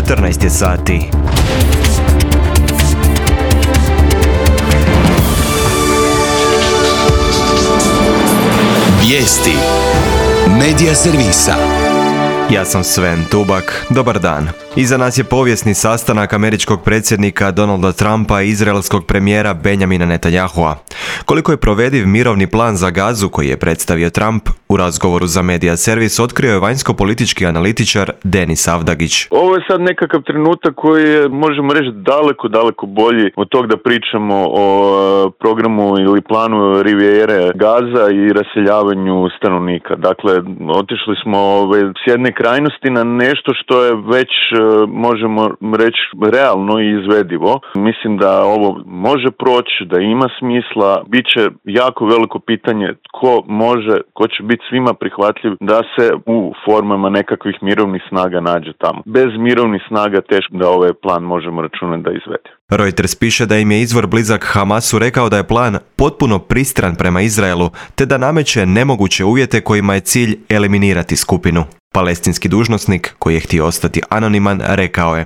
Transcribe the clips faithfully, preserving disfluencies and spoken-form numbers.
četrnaest je sati. Vijesti Medija servisa. Ja sam Sven Tubak, dobar dan. Iza nas je povijesni sastanak američkog predsjednika Donalda Trumpa i izraelskog premijera Benjamina Netanyahua. Koliko je provediv mirovni plan za Gazu koji je predstavio Trump, u razgovoru za Medija servis otkrio je vanjsko-politički analitičar Denis Avdagić. Ovo je sad nekakav trenutak koji je, možemo reći, daleko, daleko bolji od tog da pričamo o programu ili planu Rivijere Gaza i raseljavanju stanovnika. Dakle, otišli smo ove, s jedne krajnosti na nešto što je već, možemo reći, realno i izvedivo. Mislim da ovo može proći, da ima smisla. Biće jako veliko pitanje tko može, ko će biti svima prihvatljiv da se u formama nekakvih mirovnih snaga nađe tamo. Bez mirovnih snaga teško da ovaj plan možemo računati da izvede. Reuters piše da im je izvor blizak Hamasu rekao da je plan potpuno pristran prema Izraelu, te da nameće nemoguće uvjete kojima je cilj eliminirati skupinu. Palestinski dužnosnik, koji je htio ostati anoniman, rekao je: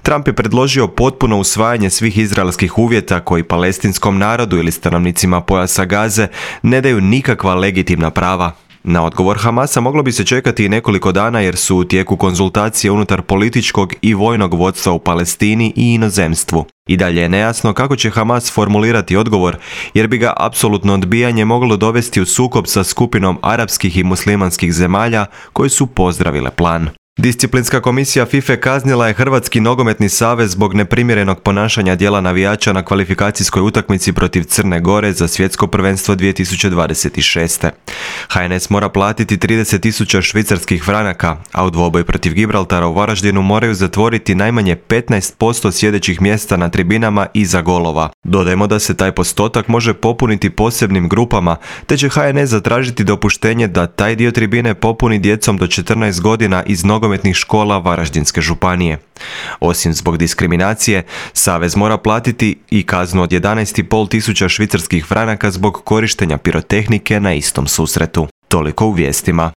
Trump je predložio potpuno usvajanje svih izraelskih uvjeta koji palestinskom narodu ili stanovnicima pojasa Gaze ne daju nikakva legitimna prava. Na odgovor Hamasa moglo bi se čekati i nekoliko dana jer su u tijeku konzultacije unutar političkog i vojnog vodstva u Palestini i inozemstvu. I dalje je nejasno kako će Hamas formulirati odgovor, jer bi ga apsolutno odbijanje moglo dovesti u sukob sa skupinom arapskih i muslimanskih zemalja koji su pozdravile plan. Disciplinska komisija FIFA kaznila je Hrvatski nogometni savez zbog neprimjerenog ponašanja dijela navijača na kvalifikacijskoj utakmici protiv Crne Gore za svjetsko prvenstvo dvije tisuće dvadeset šeste. H N S mora platiti trideset tisuća švicarskih franaka, a u dvoboj protiv Gibraltara u Varaždinu moraju zatvoriti najmanje petnaest posto sjedećih mjesta na tribinama iza golova. Dodajmo da se taj postotak može popuniti posebnim grupama, te će H N S zatražiti dopuštenje da taj dio tribine popuni djecom do četrnaest godina iz nogometnih škola Varaždinske županije. Osim zbog diskriminacije, savez mora platiti i kaznu od jedanaest i pol tisuća švicarskih franaka zbog korištenja pirotehnike na istom susretu. Toliko u vijestima.